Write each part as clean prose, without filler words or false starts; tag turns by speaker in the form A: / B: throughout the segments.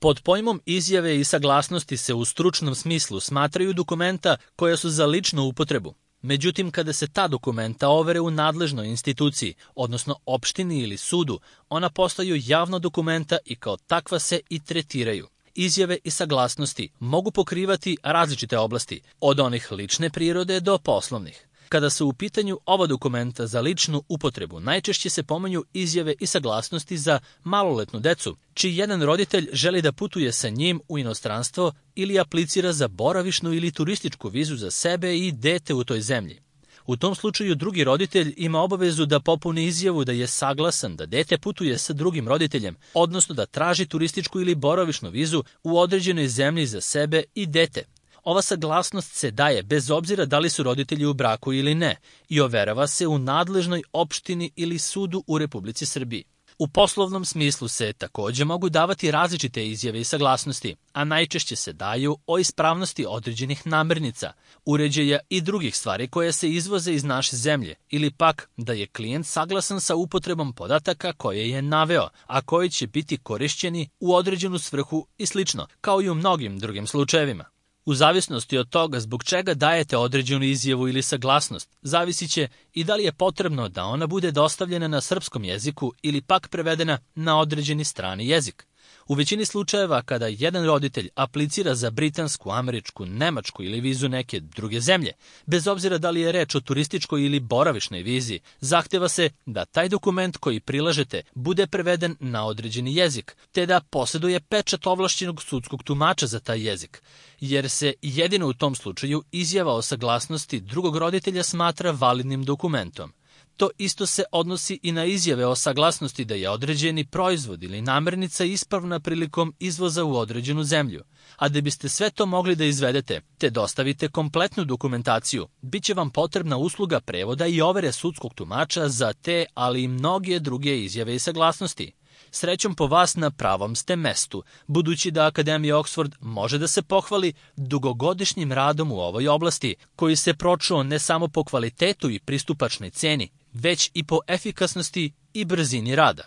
A: Pod pojmom izjave i saglasnosti se u stručnom smislu smatraju dokumenta koja su za ličnu upotrebu. Međutim, kada se ta dokumenta overe u nadležnoj instituciji, odnosno opštini ili sudu, ona postaju javna dokumenta i kao takva se i tretiraju. Izjave i saglasnosti mogu pokrivati različite oblasti, od onih lične prirode do poslovnih. Kada su u pitanju ova dokumenta za ličnu upotrebu, najčešće se pominju izjave i saglasnosti za maloletnu decu, čiji jedan roditelj želi da putuje sa njim u inostranstvo ili aplicira za boravišnu ili turističku vizu za sebe i dete u toj zemlji. U tom slučaju drugi roditelj ima obavezu da popuni izjavu da je saglasan da dete putuje sa drugim roditeljem, odnosno da traži turističku ili boravišnu vizu u određenoj zemlji za sebe i dete. Ova saglasnost se daje bez obzira da li su roditelji u braku ili ne i overava se u nadležnoj opštini ili sudu u Republici Srbiji. U poslovnom smislu se takođe mogu davati različite izjave i saglasnosti, a najčešće se daju o ispravnosti određenih namirnica, uređaja i drugih stvari koje se izvoze iz naše zemlje, ili pak da je klijent saglasan sa upotrebom podataka koje je naveo, a koji će biti korišćeni u određenu svrhu i slično, kao i u mnogim drugim slučajevima. U zavisnosti od toga zbog čega dajete određenu izjavu ili saglasnost, zavisit će i da li je potrebno da ona bude dostavljena na srpskom jeziku ili pak prevedena na određeni strani jezik. U većini slučajeva kada jedan roditelj aplicira za britansku, američku, nemačku ili vizu neke druge zemlje, bez obzira da li je reč o turističkoj ili boravišnoj vizi, zahteva se da taj dokument koji prilažete bude preveden na određeni jezik, te da posjeduje pečat ovlašćenog sudskog tumača za taj jezik, jer se jedino u tom slučaju izjava o saglasnosti drugog roditelja smatra validnim dokumentom. To isto se odnosi i na izjave o saglasnosti da je određeni proizvod ili namirnica ispravna prilikom izvoza u određenu zemlju. A da biste sve to mogli da izvedete, te dostavite kompletnu dokumentaciju, bit će vam potrebna usluga prevoda i overe sudskog tumača za te, ali i mnoge druge izjave i saglasnosti. Srećom po vas na pravom ste mestu, budući da Akademija Oxford može da se pohvali dugogodišnjim radom u ovoj oblasti, koji se pročuo ne samo po kvalitetu i pristupačnoj ceni, već i po efikasnosti i brzini rada.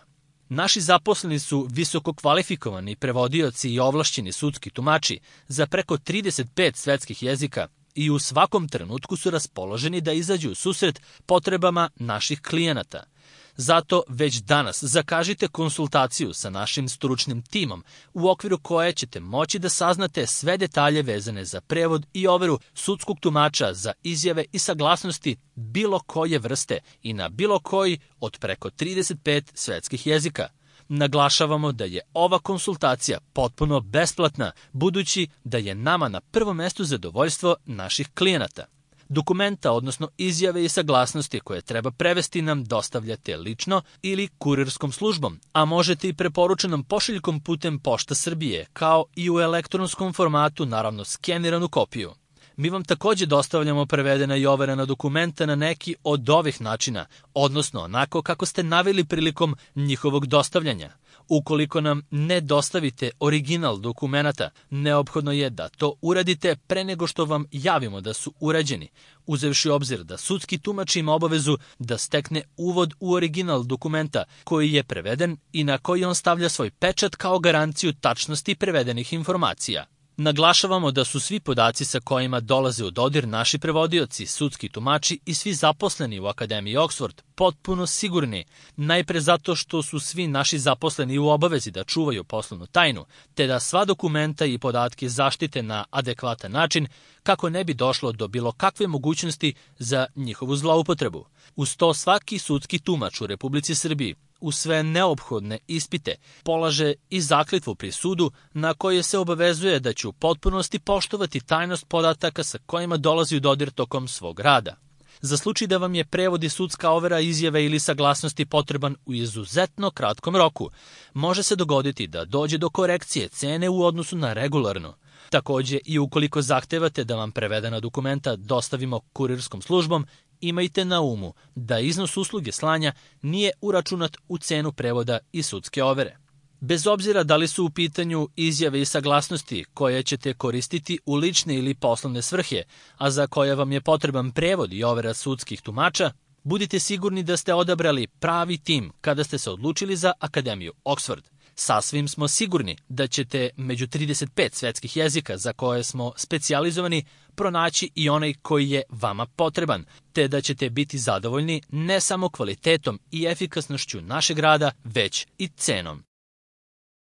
A: Naši zaposleni su visoko kvalifikovani prevodioci i ovlašćeni sudski tumači za preko 35 svetskih jezika i u svakom trenutku su raspoloženi da izađu u susret potrebama naših klijenata. Zato već danas zakažite konsultaciju sa našim stručnim timom u okviru koje ćete moći da saznate sve detalje vezane za prevod i overu sudskog tumača za izjave i saglasnosti bilo koje vrste i na bilo koji od preko 35 svetskih jezika. Naglašavamo da je ova konsultacija potpuno besplatna, budući da je nama na prvom mestu zadovoljstvo naših klijenata. Dokumenta, odnosno izjave i saglasnosti koje treba prevesti nam dostavljate lično ili kurirskom službom, a možete i preporučenom pošiljkom putem Pošta Srbije, kao i u elektronskom formatu, naravno skeniranu kopiju. Mi vam takođe dostavljamo prevedena i overena dokumenta na neki od ovih načina, odnosno onako kako ste naveli prilikom njihovog dostavljanja. Ukoliko nam ne dostavite original dokumenata, neophodno je da to uradite pre nego što vam javimo da su urađeni, uzevši obzir da sudski tumač ima obavezu da stekne uvod u original dokumenta koji je preveden i na koji on stavlja svoj pečat kao garanciju tačnosti prevedenih informacija. Naglašavamo da su svi podaci sa kojima dolaze u dodir naši prevodioci, sudski tumači i svi zaposleni u Akademiji Oxford potpuno sigurni, najpre zato što su svi naši zaposleni u obavezi da čuvaju poslovnu tajnu, te da sva dokumenta i podatke zaštite na adekvatan način kako ne bi došlo do bilo kakve mogućnosti za njihovu zloupotrebu. Uz to svaki sudski tumač u Republici Srbiji u sve neophodne ispite polaže i zakletvu pri sudu na koje se obavezuje da će u potpunosti poštovati tajnost podataka sa kojima dolazi u dodir tokom svog rada. Za slučaj da vam je prevod i sudska overa izjave ili saglasnosti potreban u izuzetno kratkom roku, može se dogoditi da dođe do korekcije cene u odnosu na regularno. Takođe, i ukoliko zahtevate da vam prevedena dokumenta dostavimo kurirskom službom, imajte na umu da iznos usluge slanja nije uračunat u cenu prevoda i sudske overe. Bez obzira da li su u pitanju izjave i saglasnosti koje ćete koristiti u lične ili poslovne svrhe, a za koje vam je potreban prevod i overa sudskih tumača, budite sigurni da ste odabrali pravi tim kada ste se odlučili za Akademiju Oxford. Sasvim smo sigurni da ćete među 35 svetskih jezika za koje smo specijalizovani pronaći i onaj koji je vama potreban, te da ćete biti zadovoljni ne samo kvalitetom i efikasnošću našeg rada, već i cenom.